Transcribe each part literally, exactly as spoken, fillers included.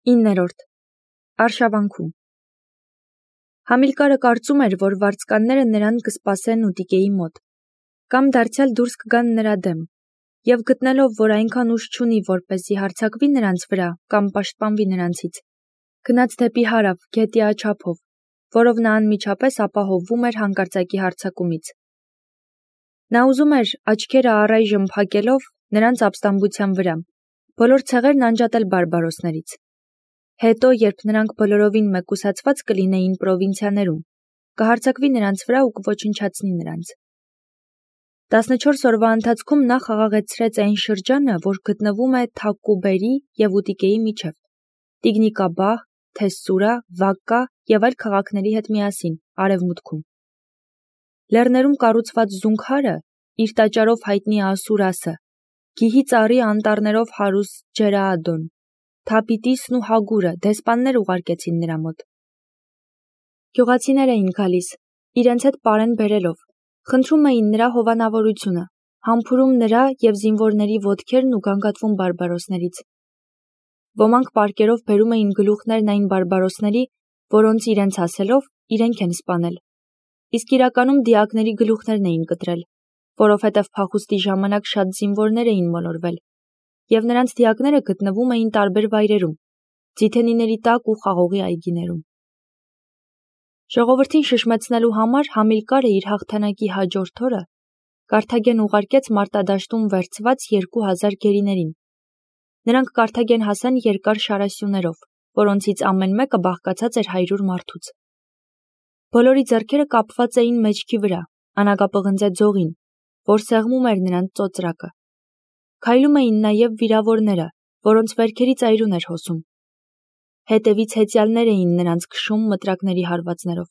իններորդ. Արշավանքում Համիլկարը կարծում էր, որ վարձկանները նրան կսպասեն ուտիկեի մոտ, կամ դարձյալ դուրս կգան նրա դեմ, և գտնելով, որ այնքան ուժ չունի, որպեսզի հարձակվի նրանց վրա կամ պաշտպանվի նրանցից, գնաց դեպի հարավ գետի աջափով, որով նա անմիջապես ապահովվում էր հանկարծակի հարձակումից։ Նա ուզում էր աչքերը առայժմ փակելով նրանց ապստամբության վրա, բոլոր ցեղերն անջատել բարբարոսներից։ Հետո, երբ նրանք բոլորովին մեկուսացված կլինեին պրովինցիաներում, կհարձակվի նրանց վրա ու կոչնչացնի նրանց։ տասնչորս օրվա ընթացքում նա խաղաղեցրեց այն շրջանը, որ գտնվում է Թակկուբերի և Ուտիկեի միջև, Տիգնիկաբահ, Թեսսուրա, Վակկա և այլ քաղաքների հետ միասին, արևմուտքում։ Լեռներում կառուցված Զունգհարը, իր տաճարով հայտնի Ասուրասը, գիհի ծառի անտառներով հարուստ Ջերաադոն, Թապիտիսն ու Հագուրը դեսպաններ ուղարկեցին նրա մոտ։ Գյուղացիներ էին գալիս, իրենց հետ պարեն բերելով, խնդրում էին նրա հովանավորությունը, համբուրում նրա և զինվորների ոտքերն ու գանգատվում բարբարոսներից։ Ոմանք պարկերով բերում էին գլուխներն այն բարբարոսների, որոնց իրենց ասելով իրենք են սպանել, իսկ իրականում դիակների գլուխներն էին կտրել, որովհետև փախուստի ժամանակ շատ զինվորներ էին մոլորվել, և նրանց դիակները գտնվում էին տարբեր վայրերում, ձիթենիների տակ ու խաղողի այգիներում։ Ժողովրդին շշմեցնելու համար Համիլկարը իր հաղթանակի հաջորդ օրը Կարթագեն ուղարկեց մարտադաշտում վերցված երկու հազար գերիներին։ Նրանք Կարթագեն հասան երկար շարասյուներով, որոնցից ամեն մեկը բաղկացած էր հարյուր մարդուց։ Բոլորի ձեռքերը կապված էին մեջքի վրա, անագապղնձե ձողին, որ սեղմում էր նրանց ծոծրակը։ Քայլում էին նաև վիրավորները, որոնց վերքերից այրուն էր հոսում։ Հետևից հեծյալներ էին նրանց քշում մտրակների հարվածներով։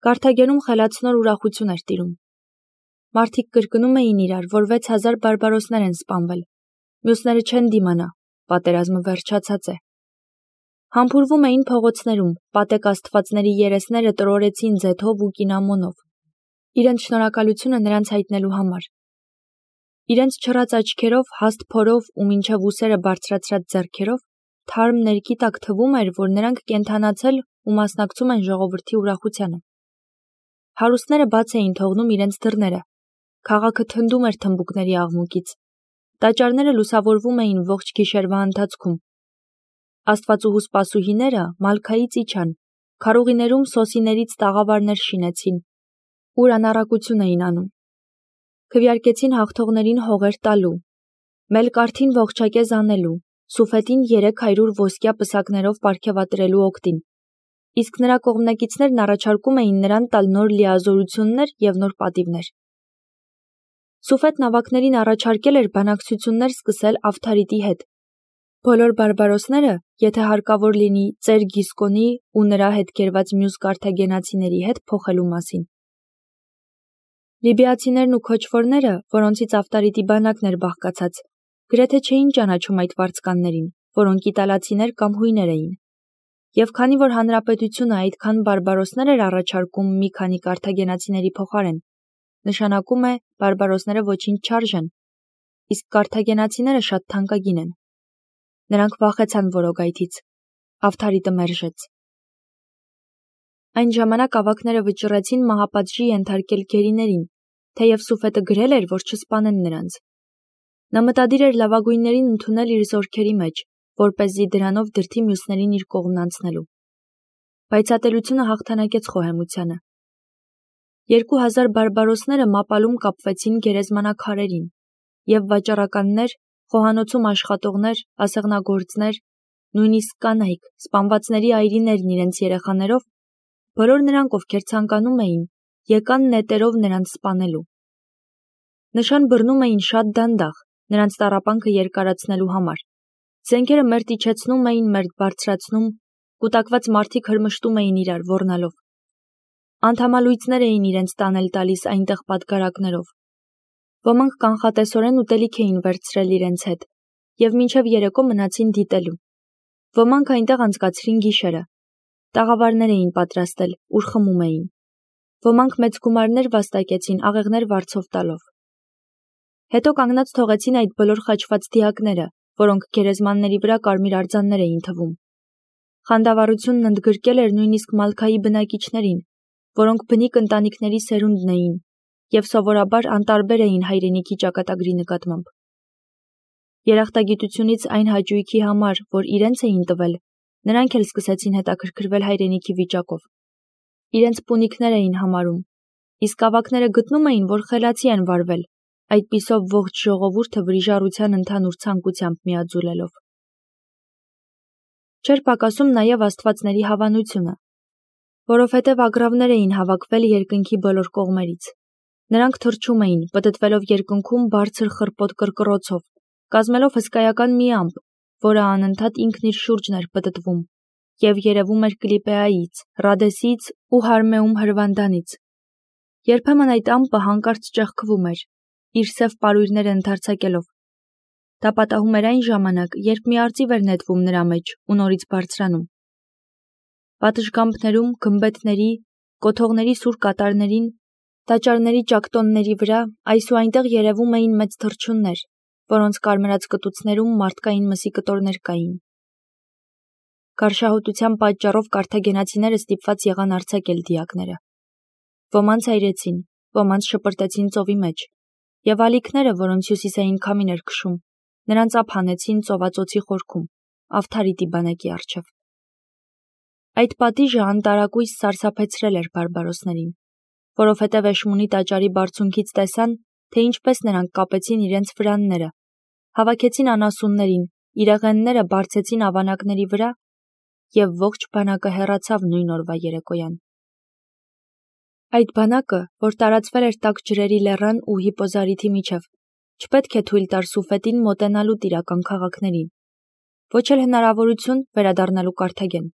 Կարթագենում խելացնոր ուրախություն էր տիրում։ Մարդիկ կրկնում էին իրար, որ վեց հազար բարբարոսներ են սպանվել, մյուսները չեն դիմանա, պատերազմը վերջացած է։ Համբուրվում էին փողոցներում, պատեկ աստվածների երեսները տրորեցին ձեթով ու կինամոնով, իրենց շնորհակալությունը նրանց հայտնելու համար։ Իրենց չռած աչքերով, հաստ փորով ու մինչև ուսերը բարձրացրած ձեռքերով թարմ ներքի տակ թվում էր, որ նրանք կենդանացել ու մասնակցում են ժողովրդի ուրախությանը։ Հարուստները բաց էին թողնում իրենց դռները, քաղաքը թնդում էր թմբուկների աղմուկից, տաճարները լուսավորվում էին ողջ գիշերվա ընթացքում։ Աստվածուհու սպասուհիները մալքայից իջան, քարուղիներում սոսիներից տաղավարներ շինեցին, ուր անառակություն էին անում։ Քվեարկեցին հաղթողներին հողեր տալու, մելկարթին ողջակեզ անելու, Սուֆետին երեք հարյուր ոսկյա պսակներով պարգևատրելու օգտին, իսկ նրա կողմնակիցներն առաջարկում էին նրան տալ նոր լիազորություններ և նոր պատիվներ։ Սուֆետն ավագներին առաջարկել էր բանակցություններ սկսել Ավթարիտի հետ։ Բոլոր բարբարոսները, եթե հարկավոր լինի, ծեր Գիսկոնի ու նրա հետ կերված մյուս կարթագենացիների հետ փոխելու մասին։ Լիբիացիներն ու քոչվորները, որոնցից Ավտարիտի բանակն էր բաղկացած, գրեթե չէին ճանաչում այդ վարձկաններին, որոնք իտալացիներ կամ հույներ էին։ Եվ քանի որ հանրապետությունը այդքան բարբարոսներ էր առաջարկում մի քանի կարթագենացիների փոխարեն, նշանակում է բարբարոսները ոչինչ չարժեն, իսկ կարթագենացիները շատ թանկագին են։ Նրանք վախեցան որոգայթից։ Ավթարիտը մերժեց։ Այն ժամանակ ավագները վճռեցին մահապատժի ենթարկել գերիներին, թեև Սուֆետը գրել էր, որ չսպանեն նրանց։ Նա մտադիր էր լավագույններին ընդունել իր զորքերի մեջ, որպեսզի դրանով դրդի մյուսներին իր կողմն անցնելու։ Բայց ատելությունը հաղթանակեց խոհեմությանը։ Երկու հազար բարբարոսները մապալում կապվեցին գերեզմանակարերին, և վաճառականներ, խոհանոցում աշխատողներ, ասեղնագործներ, նույնիսկ կանայք, սպանվածների այրիներն իրենց երեխաներով, բոլոր նրանք, ովքեր ցանկանում էին, եկան նետերով նրանց սպանելու։ Նշան բռնում էին շատ դանդաղ, նրանց տառապանքը երկարացնելու համար։ Զենքերը մերթ իջեցնում էին, մերթ բարձրացնում, կուտակված մարդիկ հրմշտում էին իրար ոռնալով։ Անդամալույծներ էին իրենց տանել տալիս այնտեղ պատգարակներով։ Ոմանք կանխատեսորեն ուտելիք էին վերցրել իրենց հետ և մինչև երեկո մնացին դիտելու։ Ոմանք այնտեղ անցկացրին գիշերը։ Տաղավարներ էին պատրաստել, ուր խմում էին։ Ոմանք մեծ գումարներ վաստակեցին աղեղներ վարձով տալով։ Հետո կանգնած թողեցին այդ բոլոր խաչված դիակները, որոնք գերեզմանների վրա կարմիր արձաններ էին թվում։ Խանդավառությունն ընդգրկել էր նույնիսկ Մալքայի բնակիչներին, որոնք բնիկ ընտանիքների սերունդն էին և սովորաբար անտարբեր էին հայրենիքի ճակատագրի նկատմամբ։ Երախտագիտությունից այն հաճույքի համար, որ իրենց էին տվել, նրանք էլ սկսեցին հետաքրքրվել հայրենիքի վիճակով։ Իրենց պունիկներ էին համարում, իսկ ավագները գտնում էին, որ խելացի են վարվել, այդպիսով ողջ ժողովուրդը վրիժառության ընդհանուր ցանկությամբ միաձուլելով։ Չէր պակասում նաև աստվածների հավանությունը, որովհետև ագռավներ էին հավաքվել երկնքի բոլոր կողմերից։ Նրանք թռչում էին, պտտվելով երկնքում բարձր խռպոտ կռկռոցով, կազմելով հսկայական մի ամպ, որը անընդհատ ինքն իր շուրջն էր պտտվում, և երևում էր Կլիպեայից, Ռադեսից ու Հարմեում հրվանդանից։ Երբեմն այդ ամպը հանկարծ ճեղքվում էր, իր սև պարույրները ընդարձակելով։ Դա պատահում էր այն ժամանակ, երբ մի արծիվ էր նետվում նրա մեջ ու նորից բարձրանում։ Պատշգամբներում, գմբեթների, կոթողների սուր կատարներին, տաճարների ճակտոնների վրա այս ու այնտեղ երևում էին մեծ թռչուններ, որոնց կարմրած կտուցներում մարդկային մսի կտորներ կային։ Գարշահոտության պատճառով կարթագենացիները ստիպված եղան արձակել դիակները։ Ոմանց այրեցին, ոմանց շպրտեցին ծովի մեջ, և ալիքները, որոնց հյուսիսային քամին էր քշում, նրանց ափ հանեցին ծովածոցի խորքում, Ավթարիտի բանակի առջև։ Այդ պատիժը անտարակույս սարսափեցրել էր բարբարոսներին, որովհետև Էշմունի տաճարի բարձունքից տեսան, թե ինչպես նրանք կապեցին իրենց վրանները, հավաքեցին անասուններին, իրեղենները բարձեցին ավանակների վրա, և ողջ բանակը հեռացավ նույն օրվա երեկոյան։ Այդ բանակը, որ տարածվել էր տաք ջրերի լեռան ու Հիպոզարիթի միջև, չպետք է թույլ տար Սուֆետին մոտենալու տիրական քաղաքներին, ոչ էլ հնարավորություն վերադառնալու Կարթագեն։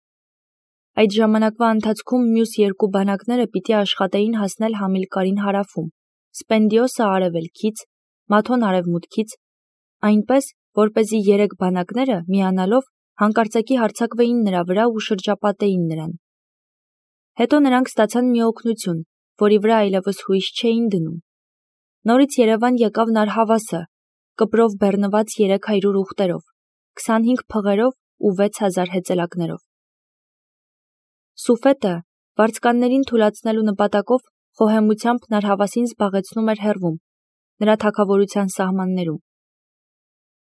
Այդ ժամանակվա ընթացքում մյուս երկու բանակները պիտի աշխատեին հասնել Համիլկարին հարավում, Սպենդիոսը արևելքից, Մաթոն արևմուտքից, այնպես, որպեսզի երեք բանակները միանալով հանկարծակի հարձակվեին նրա վրա ու շրջապատեին նրան։ Հետո նրանք ստացան մի օգնություն, որի վրա այլևս հույս չէին դնում։ Նորից Երևան եկավ Նարհավասը, կպրով բեռնված երեք հարյուր ուղտերով, քսանհինգ փղերով ու վեց հազար հեծելակներով։ Սուֆետը, վարձկաններին թուլացնելու նպատակով, խոհեմությամբ Նարհավասին զբաղեցնում էր հեռվում, նրա թագավորության սահմաններում։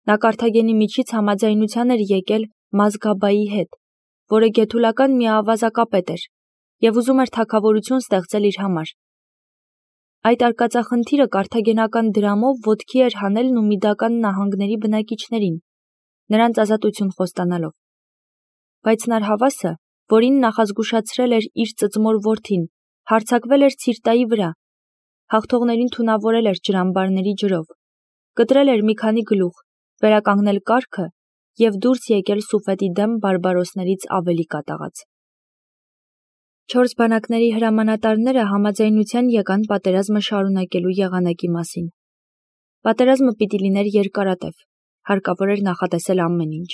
Նա Կարթագենի միջից համաձայնության էր եկել Մազգաբայի հետ, որը գեթուլական մի ավազակապետ էր, և ուզում էր թագավորություն ստեղծել իր համար։ Այդ արկածախնդիրը կարթագենական դրամով ոտքի էր հանել Նումիդական նահանգների բնակիչներին, նրանց ազատություն խոստանալով։ Բայց Նարհավասը, որին նախազգուշացրել էր իր ծծմոր որդին, հարձակվել էր Ցիրտայի վրա, հաղթողներին թունավորել էր ջրամբարների ջրով, կտրել էր մի քանի գլուխ, վերականգնել կարգը և դուրս եկել Սուֆետի դեմ բարբարոսներից ավելի կատաղած։ Չորս բանակների հրամանատարները համաձայնության եկան պատերազմը շարունակելու եղանակի մասին։ Պատերազմը պիտի լիներ երկարատև, հարկավոր էր նախատեսել ամեն ինչ։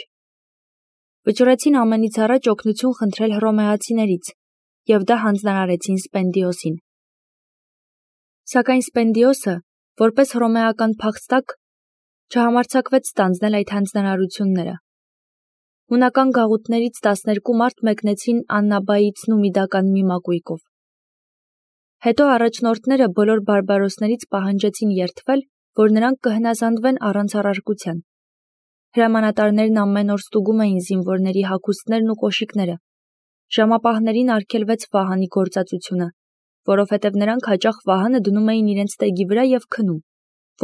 Վճռեցին ամենից առաջ օգնություն խնդրել հռոմեացիներից, և դա հանձնարարեցին Սպենդիոսին։ Սակայն Սպենդիոսը, որպես հռոմեական փախստակ, չհամարձակվեց ստանձնել այդ հանձնարարությունները։ Հունական գաղութներից տասներկու մարդ մեկնեցին Աննաբայից Նումիդական մի մակույկով։ Հետո առաջնորդները բոլոր բարբարոսներից պահանջեցին երդվել, որ նրանք կհնազանդվեն առանց առարկության։ Հրամանատարներն ամեն օր ստուգում էին զինվորների հագուստներն ու կոշիկները։ Ժամապահներին արգելվեց վահանի գործածությունը, որովհետև նրանք հաճախ վահանը դնում էին իրենց տեգի վրա և քնում,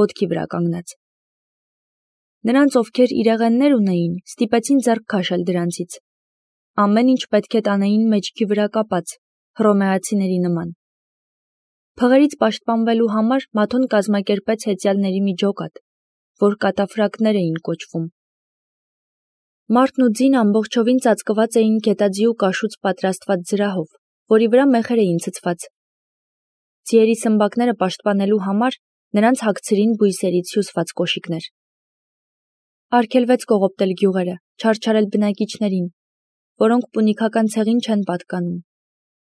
ոտքի վրա կանգնած։ Նրանց, ովքեր իրեղեններ ունեին, ստիպեցին ձեռք քաշել դրանցից։ Ամեն ինչ պետք է տանեին մեջքի վրա կապած, հռոմեացիների նման։ Փղերից պաշտպանվելու համար Մաթոն կազմակերպեց հեծյալների մի ջոկատ, որ կատաֆրակներ էին կոչվում։ Մարդն ու ձին ամբողջովին ծածկված էին գետաձի ու կաշուց պատրաստված զրահով, որի վրա մեխեր էին ցցված։ Ձիերի սմբակները պաշտպանելու համար նրանց հագցրին բույսերից հյուսված կոշիկներ։ Արգելվեց կողոպտել գյուղերը, չարչարել բնակիչներին, որոնք պունիկական ցեղին չեն պատկանում։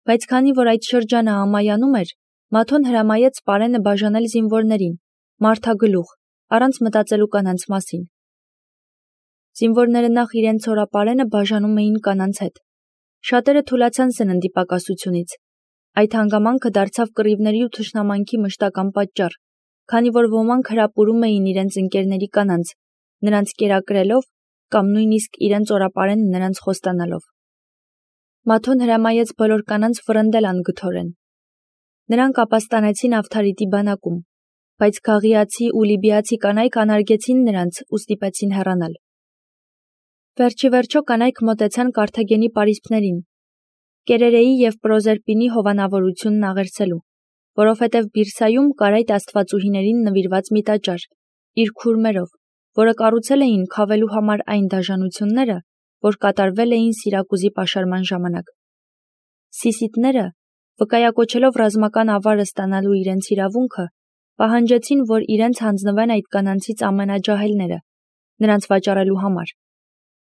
Բայց քանի որ այդ շրջանը ամայանում էր, Մաթոն հրամայեց պարենը բաժանել զինվորներին, մարդագլուխ, առանց մտածելու կանանց մասին։ Զինվորները նախ իրենց ցորապարենը բաժանում էին կանանց հետ։ Շատերը թուլացան սննդի պակասությունից։ Այդ հանգամանքը դարձավ կռիվների ու թշնամանքի մշտական պատճառ, քանի որ ոմանք հրապուրում էին իրենց ընկերների կանանց, նրանց կերակրելով կամ նույնիսկ իրենց օրապարենը նրանց խոստանալով։ Մաթոն հրամայեց բոլոր կանանց վռնդել անգթորեն։ Նրանք ապաստանեցին Ավթարիտի բանակում, բայց գաղիացի ու լիբիացի կանայք անարգեցին նրանց ու ստիպեցին հեռանալ։ Վերջի վերջո կանայք մոտեցան Կարթագենի պարիսպներին, Կերերեի և Պրոզերպինի հովանավորությունն աղերսելու, որովհետև Բիրսայում կար այդ աստվածուհիներին նվիրված մի տաճար, իր քուրմերով, որը կառուցել էին քավելու համար այն դաժանությունները, որ կատարվել էին Սիրակուզի պաշարման ժամանակ։ Սիսիտները, վկայակոչելով ռազմական ավարը ստանալու իրենց իրավունքը, պահանջեցին, որ իրենց հանձնվեն այդ կանանցից ամենաջահելները, նրանց վաճառելու համար,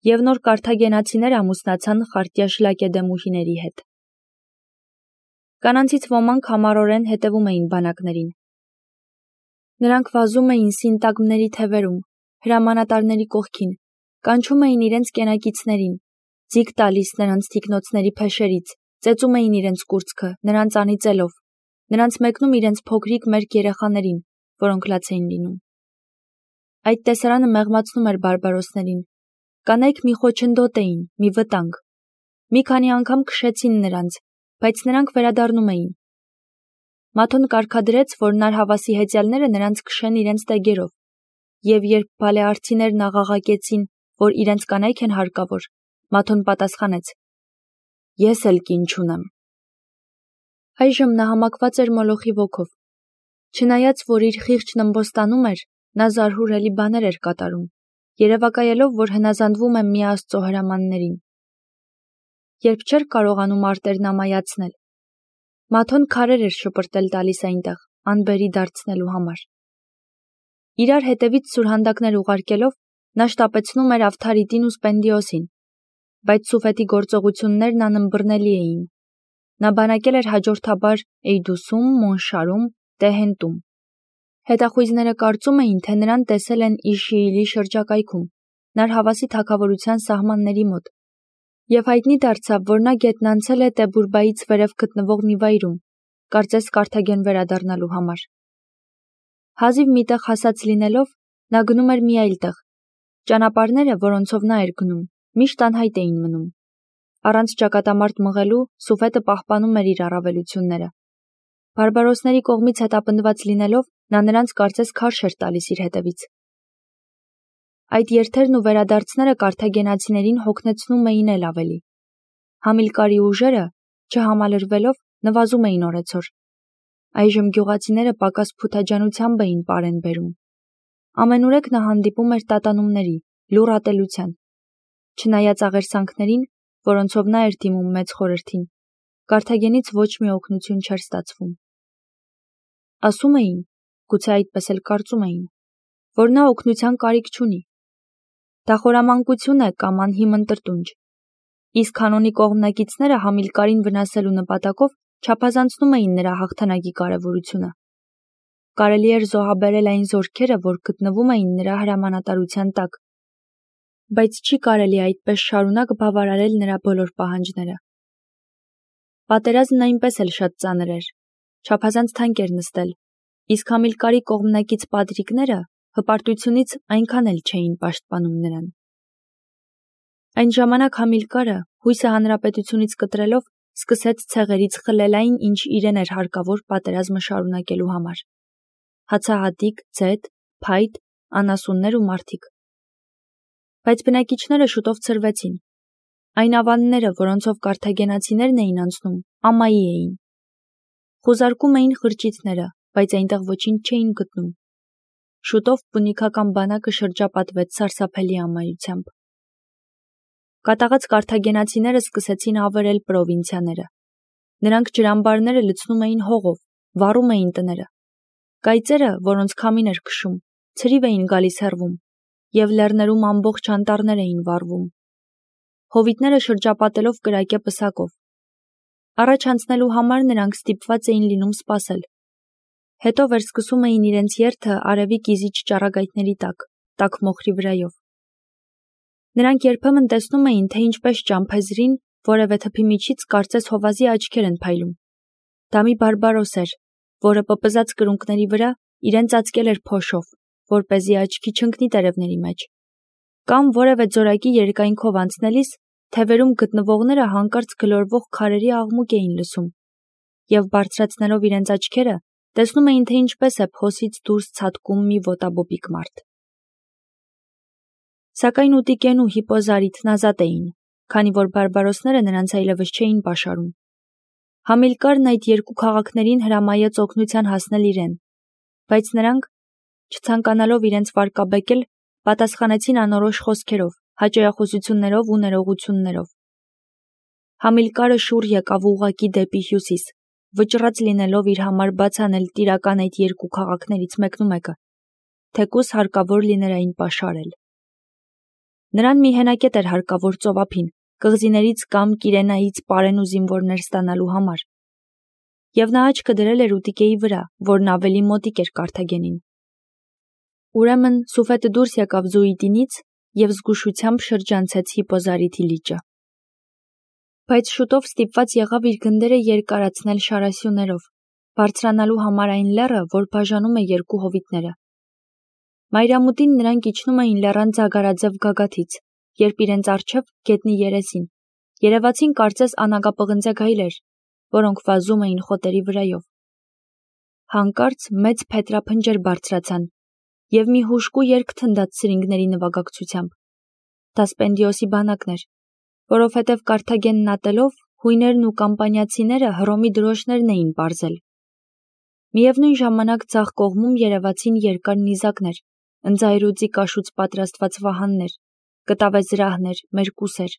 և նոր կարթագենացիներ ամուսնացան խարտյաշ լակեդեմուհիների հետ։ Կանանցից ոմանք համառորեն հետևում էին բանակներին։ Նրանք վազում էին սինտագմների թևերում, հրամանատարների կողքին, կանչում էին իրենց կենակիցներին, ձիգ տալիս նրանց թիկնոցների փեշերից, ծեծում էին իրենց կուրծքը, նրանց անիծելով, նրանց մեկնում իրենց փոքրիկ մերկ երեխաներին, որոնք լաց էին լինում։ Այդ տեսարանը մեղմացնում էր բարբարոսներին։ Կանայք մի խոչընդոտ էին, մի վտանգ։ Մի քանի անգամ քշեցին նրանց, բայց նրանք վերադառնում էին։ Մաթոն կարգադրեց, որ նարհավասի հեծյալները նրանց քշեն իրենց տեգերով, և երբ բալեարցիներն աղաղակեցին, որ իրենց կանայք են հարկավոր, Մաթոն պատասխանեց. «Ես էլ կին չունեմ»։ Այժմ նա համակված էր մոլոխի ոգով։ Չնայած, որ իր խիղճն ըմբոստանում էր, նա զարհուրելի բաներ էր կատարում, երևակայելով, որ հնազանդվում է մի Աստծո հրամաններին։ Երբ չէր կարողանում արտերն ամայացնել, Մաթոն քարեր էր շպրտել տալիս այնտեղ, անբերի դարձնելու համար։ Իրար հետևից սուրհանդակներ ուղարկելով, նա շտապեցնում էր Ավթարիտին ու Սպենդիոսին, բայց Սուֆետի գործողություններն անըմբռնելի էին։ Նա բանակել էր հաջորդաբար Էյդուսում, Մոնշարում, Տեհենտում։ Հետախույզները կարծում էին, թե նրան տեսել են Իշիիլի շրջակայքում, նարհավասի թագավորության սահմանների մոտ, և հայտնի դարձավ, որ նա գետն անցել է Տեբուրբայից վերև գտնվող մի վայրում, կարծես Կարթագեն վերադառնալու համար։ Հազիվ մի տեղ հասած լինելով, նա գնում էր մի այլ տեղ։ Ճանապարհները, որոնցով նա էր գնում, միշտ անհայտ էին մնում։ Առանց ճակատամարտ մղելու Սուֆետը պահպանում էր իր առավելությունները։ Բարբարոսների կողմից հետապնդված լինելով, նա նրանց կարծես քարշ էր տալիս իր հետևից։ Այդ երթերն ու վերադարձները կարթագենացիներին հոգնեցնում էին էլ ավելի։ Համիլկարի ուժերը, չհամալրվելով, նվազում էին օրեցօր։ Այժմ գյուղացիները պակաս փութաջանությամբ էին պարեն բերում։ Ամենուրեք նա հանդիպում էր տատանումների, լուռ ատելության։ Չնայած աղերսանքներին, որոնցով նա էր դիմում մեծ խորհրդին, Կարթագենից ոչ մի օգնություն չէր ստացվում։ Ասում էին, գուցե այդպես էլ կարծում էին, որ նա օգնության կարիք չունի։ Դա խորամանկություն է կամ անհիմն տրտունջ։ Իսկ Հանոնի կողմնակիցները Համիլկարին վնասելու նպատակով չափազանցնում էին նրա հաղթանակի կարևորությունը։ Կարելի էր զոհաբերել այն զորքերը, որ գտնվում էին նրա հրամանատարության տակ, բայց չի կարելի այդպես շարունակ բավարարել նրա բոլոր պահանջները։ Պատերազմն այնպես էլ շատ ծանր էր, չափազանց թանկ էր նստել, իսկ Համիլկարի կողմնակից պատրիկները հպարտությունից այնքան էլ չէին պաշտպանում նրան։ Այն ժամանակ Համիլկարը, հույսը հանրապետությունից կտրելով, սկսեց ցեղերից խլել այն, ինչ իրեն էր հարկավոր պատերազմը շարունակելու համար։ Հացահատիկ, ձեթ, փայտ, անասուններ ու մարդիկ։ Բայց բնակիչները շուտով ցրվեցին։ Այն ավանները, որոնցով կարթագենացիներն էին անցնում, ամայի էին։ Խուզարկում էին խրճիթները, բայց այնտեղ ոչինչ չէին գտնում։ Շուտով պունիկական բանակը շրջապատվեց սարսափելի ամայությամբ։ Կատաղած կարթագենացիները սկսեցին ավերել պրովինցիաները։ Նրանք ջրամբարները լցնում էին հողով, վառում էին տները։ Կայծերը, որոնց քամին էր քշում, ցրիվ էին գալիս հեռվում, և լեռներում ամբողջ անտառներ էին վառվում։ Հովիտները շրջապատելով կրակե պսակով։ Առաջ անցնելու համար նրանք ստիպված էին լինում սպասել։ Հետո վերսկսում էին իրենց երթը արևի կիզիչ ճառագայթների տակ, տաք մոխրի վրայով։ Նրանք երբեմն տեսնում էին, թե ինչպես ճամփեզրին որևէ թփի միջից կարծես հովազի աչքեր են փայլում։ Դա մի բարբարոս էր, որը պպզած կրունկների վրա իրեն ծածկել էր փոշով, որպեսզի աչքի չընկնի տերևների մեջ։ Կամ որևէ ձորակի երկայնքով անցնելիս թևերում գտնվողները հանկարծ գլորվող քարերի աղմուկ էին լսում, և բարձրացնելով իրենց աչքերը, տեսնում էին, թե ինչպես է փոսից դուրս ցատկում մի ոտաբոբիկ մարդ։ Սակայն Ուտիկեն ու Հիպոզարիթն ազատ էին, քանի որ բարբարոսները նրանց այլևս չէին պաշարում։ Համիլկարն այդ երկու քաղաքներին հրամայեց օգնության հասնել իրեն, բայց նրանք, չցանկանալով իրենց վարկաբեկել, պատասխանեցին անորոշ խոսքերով, հաճոյախոսություններով ու ներողություններով։ Համիլկարը շուռ եկավ ուղղակի դեպի հյուսիս, վճռած լինելով իր համար բաց անել տիրական այդ երկու քաղաքներից մեկնումեկը, թեկուզ հարկավոր լիներ այն պաշարել։ Նրան մի հենակետ էր հարկավոր ծովափին, կղզիներից կամ Կիրենայից պարեն ու զինվորներ ստանալու համար, և նա աչքը դրել էր Ուտիկեի վրա, որն ավելի մոտիկ էր Կարթագենին։ Ուրեմն Սուֆետը դուրս եկավ Զուիդինից և զգուշությամբ շրջանցեց Հիպոզարիթի լիճը։ Բայց շուտով ստիպված եղավ իր գնդերը երկարացնել շարասյուներով, բարձրանալու համար այն լեռը, որ բաժանում է երկու հովիտները։ Մայրամուտին նրանք իջնում էին լեռան ձագարաձև գագաթից, երբ իրենց առջև գետնի երեսին երևացին կարծես անագապղնձե գայլեր, որոնք վազում էին խոտերի վրայով։ Հանկարծ մեծ փետրափնջեր բարձրացան, և մի հուժկու երգ թնդաց սրինգների նվագակցությամբ։ Դա Սպենդիոսի բանակն էր, որովհետև Կարթագենն ատելով հույներն ու կամպանիացիները Հռոմի դրոշներն էին պարզել։ Միևնույն ժամանակ ձախ կողմում երևացին երկար նիզակներ, ընձայրուծի կաշուց պատրաստված վահաններ, կտավեզրահներ, մերկուսեր։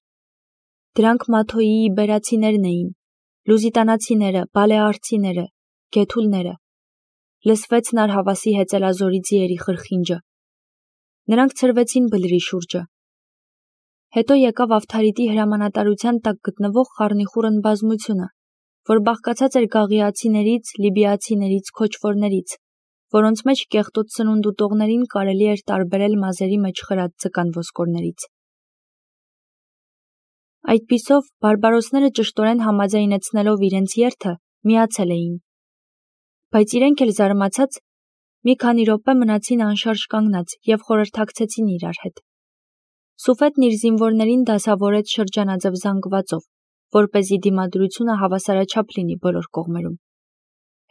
Դրանք Մաթոյի իբերացիներն էին, լուզիտանացիները, բալեարցիները, գեթուլները։ Լսվեց Նարհավասի հեծելազորի ձիերի խրխինջը։ Նրանք ցրվեցին բլրի շուրջը։ Հետո եկավ Ավթարիտի հրամանատարության տակ գտնվող խառնիխուռն բազմությունը, որ բաղկացած էր գաղիացիներից, լիբիացիներից, քոչվորներից, որոնց մեջ կեղտոտ սնունդ ուտողներին կարելի էր տարբերել մազերի մեջ խրած ձկան ոսկորներից։ Այդպիսով բարբարոսները ճշտորեն համաձայնեցնելով իրենց երթը, միացել էին։ Բայց իրենք էլ զարմացած մի քանի րոպե մնացին անշարժ կանգնած և խորհրդակցեցին իրար հետ։ Սուֆետն իր զինվորներին դասավորեց շրջանաձև զանգվածով, որպեսզի դիմադրությունը հավասարաչափ լինի բոլոր կողմերում։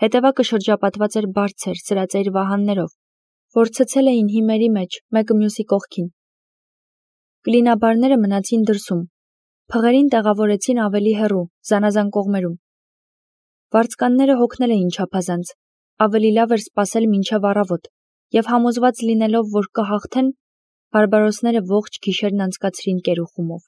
Հետևակը շրջապատված էր բարձր, սրածայր վահաններով, որ ցցել էին հիմերի մեջ, մեկը մյուսի կողքին։ Կլինաբարները մնացին դրսում, փղերին տեղավորեցին ավելի հեռու, զանազան կողմերում։ Վարձկանները հոգնել էին չափազանց, ավելի լավ էր սպասել մինչև առավոտ, և համոզված լինելով, որ կհաղթեն, բարբարոսները ողջ գիշերն անցկացրին կերուխումով։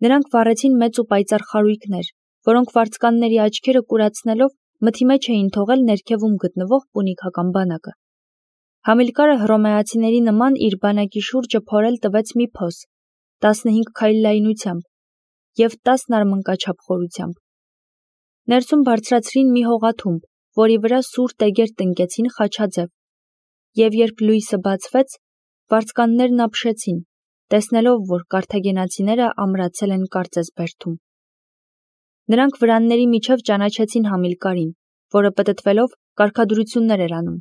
Նրանք վառեցին մեծ ու պայծառ խարույկներ, որոնք վարձկանների աչքերը կուրացնելով մթի մեջ էին թողել ներքևում գտնվող պունիկական բանակը։ Համիլկարը հռոմեացիների նման իր բանակի շուրջը փորել տվեց մի փոս, տասնհինգ քայլ լայնությամբ և տասն արմնկաչափ խորությամբ։ Ներսում բարձրացրին մի հողաթումբ, որի վրա սուր տեգեր տնկեցին խաչաձև, և երբ լույսը բացվեց, վարձկաններն ապշեցին, տեսնելով, որ կարթագենացիները ամրացել են կարծես բերդում։ Նրանք վրանների միջև ճանաչեցին Համիլկարին, որը պտտվելով կարգադրություններ էր անում։